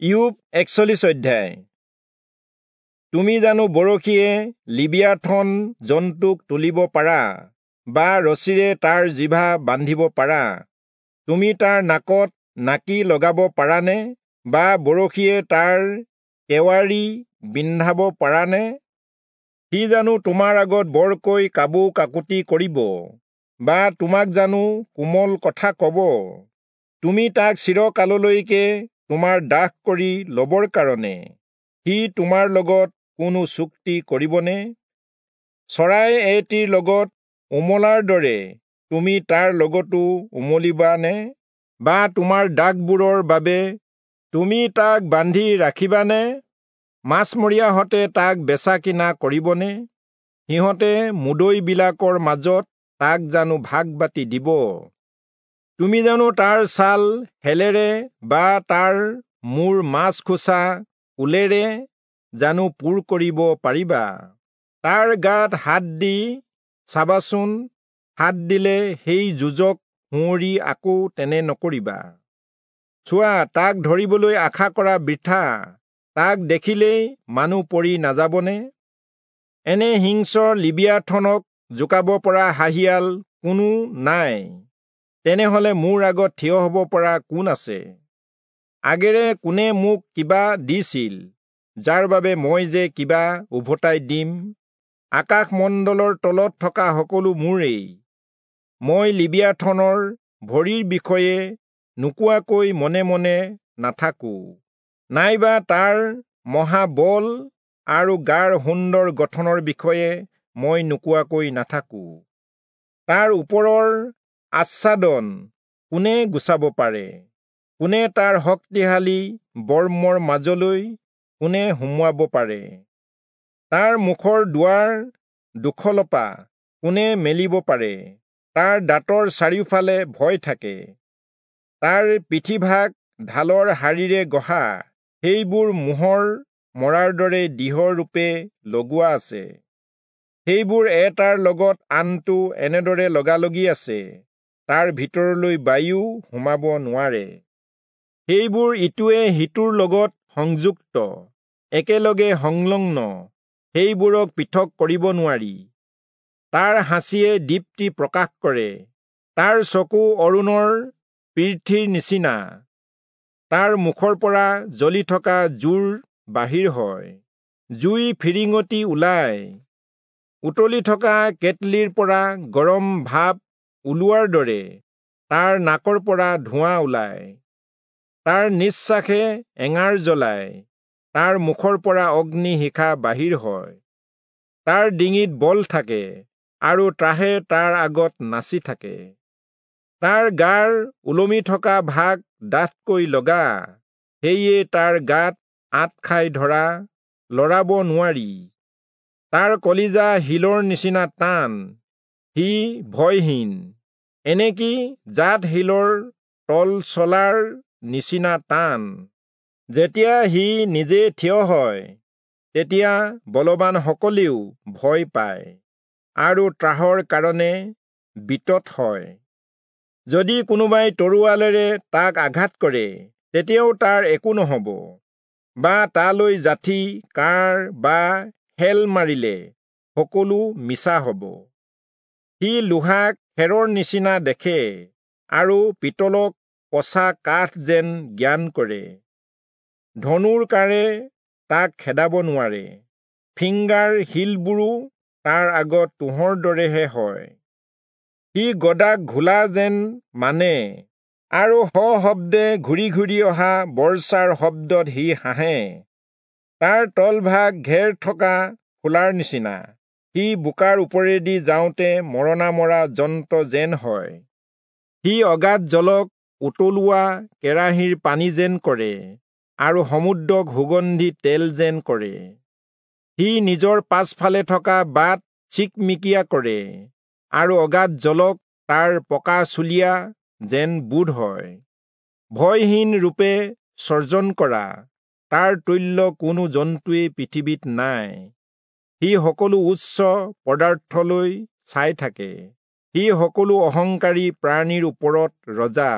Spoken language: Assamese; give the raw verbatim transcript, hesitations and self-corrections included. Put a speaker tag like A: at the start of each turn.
A: ইয়োব একচল্লিশ অধ্যায়। তুমি জানো বৰশীয়ে লিবিয়াথন জন্তুক তুলিব পাৰা, বা ৰছীৰে তাৰ জিভা বান্ধিব পাৰা? তুমি তাৰ নাকত নাকি লগাব পাৰানে, বা বৰশীয়ে তাৰ কেৱাৰি বিন্ধাব পাৰানে? সি জানো তোমাৰ আগত বৰকৈ কাবৌ কাকুতি কৰিব, বা তোমাক জানো কোমল কথা কব? তুমি তাক চিৰকাললৈকে তোমাৰ দাস কৰি লবৰ কাৰণে সি তোমাৰ লগত কোনো চুক্তি কৰিবনে? চৰাই এটিৰ লগত ওমলাৰ দৰে তুমি তাৰ লগতো উমলিবানে, বা তোমাৰ দাসবোৰৰ বাবে তুমি তাক বান্ধি ৰাখিবানে? মাছমৰীয়াহঁতে তাক বেচা কিনা কৰিবনে? সিহঁতে মুদৈবিলাকৰ মাজত তাক জানো ভাগ বাটি দিব? তুমি জানো তাৰ ছাল শেলেৰে বা তাৰ মূৰ মাছ খোচা উলেৰে জানো পূৰ কৰিব পাৰিবা? তাৰ গাত হাত দি চাবাচোন, হাত দিলে সেই যুঁজক সুঁৱৰি আকৌ তেনে নকৰিবা। চোৱা, তাক ধৰিবলৈ আশা কৰা বৃথা, তাক দেখিলেই মানুহ পৰি নাযাবনে? এনে হিংস্ৰ লিবিয়াথনক জোকাব পৰা হাঁহিয়াল কোনো নাই, তেনেহলে মোৰ আগত থিয় হব পৰা কোন আছে? আগেৰে কোনে মোক কিবা দিছিল, যাৰ বাবে মই যে কিবা উভতাই দিম? আকাশমণ্ডলৰ তলত থকা সকলো মোৰেই। মই লিবিয়াথনৰ ভৰিৰ বিষয়ে নোকোৱাকৈ মনে মনে নাথাকো, নাইবা তাৰ মহাবল আৰু গাৰ সুন্দৰ গঠনৰ বিষয়ে মই নোকোৱাকৈ নাথাকো। তাৰ ওপৰৰ আচ্ছাদন কোনে গুচাব পাৰে? কোনে তাৰ শক্তিশালী বৰ্মৰ মাজলৈ কোনে সুমুৱাব পাৰে? তাৰ মুখৰ দুৱাৰ দুখলপা কোনে মেলিব পাৰে? তাৰ দাঁতৰ চাৰিওফালে ভয় থাকে। তাৰ পিঠিভাগ ঢালৰ শাৰীৰে গঢ়া, সেইবোৰ মোহৰ মৰাৰ দৰে দৃঢ়ৰূপে লগোৱা আছে। সেইবোৰ এটাৰ লগত আনটো এনেদৰে লগালগি আছে, তাৰ ভিতৰলৈ বায়ু সোমাব নোৱাৰে। সেইবোৰ ইটোৱে সিটোৰ লগত সংযুক্ত, একেলগে সংলগ্ন, সেইবোৰক পৃথক কৰিব নোৱাৰি। তাৰ হাঁচিয়ে দীপ্তি প্ৰকাশ কৰে, তাৰ চকু অৰুণৰ পৃথিৰ নিচিনা, তাৰ মুখৰ পৰা জ্বলি থকা জুৰ বাহিৰ হয়, জুই ফিৰিঙতি ওলায়। উতলি থকা কেটলিৰ পৰা গৰম ভাপ ওলোৱাৰ দৰে তাৰ নাকৰ পৰা ধোঁৱা ওলায়। তাৰ নিশ্বাসে এঙাৰ জ্বলায়, তাৰ মুখৰ পৰা অগ্নি শিখা বাহিৰ হয়। তাৰ ডিঙিত বল থাকে আৰু ত্ৰাহে তাৰ আগত নাচি থাকে। তাৰ গাৰ ওলমি থকা ভাগ ডাঠকৈ লগা, সেয়ে তাৰ গাত আঁত খাই ধৰা লৰাব নোৱাৰি। তাৰ কলিজা শিলৰ নিচিনা টান, সি ভয়হীন, এনেকি জাত শিলৰ তল চলাৰ নিচিনা টান। যেতিয়া সি নিজে থিয় হয়, তেতিয়া বলৱানসকলেও ভয় পায় আৰু ত্ৰাসৰ কাৰণে বিতত হয়। যদি কোনোবাই তৰোৱালেৰে তাক আঘাত কৰে, তেতিয়াও তাৰ একো নহব, বা তালৈ যাঠি, কাঁড় বা শেল মাৰিলে সকলো মিছা হব। সি লোহাক খেৰৰ নিচিনা দেখে আৰু পিতলক পচা কাঠ যেন জ্ঞান কৰে। ধনুৰ কাঁড়ে তাক খেদাব নোৱাৰে, ফিংগাৰ শিলবোৰো তাৰ আগত তুঁহৰ দৰেহে হয়। সি গদাক ঘোলা যেন মানে আৰু সশব্দে ঘূৰি ঘূৰি অহা বৰ্ষাৰ শব্দত সি হাঁহে। তাৰ তলভাগ ঘেৰ থকা খোলাৰ নিচিনা, সি বোকাৰ ওপৰেদি যাওঁতে মৰণা মৰা যন্ত্ৰ যেন হয়। সি অগাধ জলক উতলোৱা কেৰাহীৰ পানী যেন কৰে আৰু সমুদ্ৰক সুগন্ধি তেল যেন কৰে। সি নিজৰ পাছফালে থকা বাট চিকমিকিয়া কৰে আৰু অগাধ জলক তাৰ পকা চুলিয়া যেন বোধ হয়। ভয়হীন ৰূপে সৰ্জন কৰা তাৰ তুল্য কোনো জন্তুৱেই পৃথিৱীত নাই। সি সকলো উচ্চ পদাৰ্থলৈ চাই থাকে, সি সকলো অহংকাৰী প্ৰাণীৰ ওপৰত ৰজা।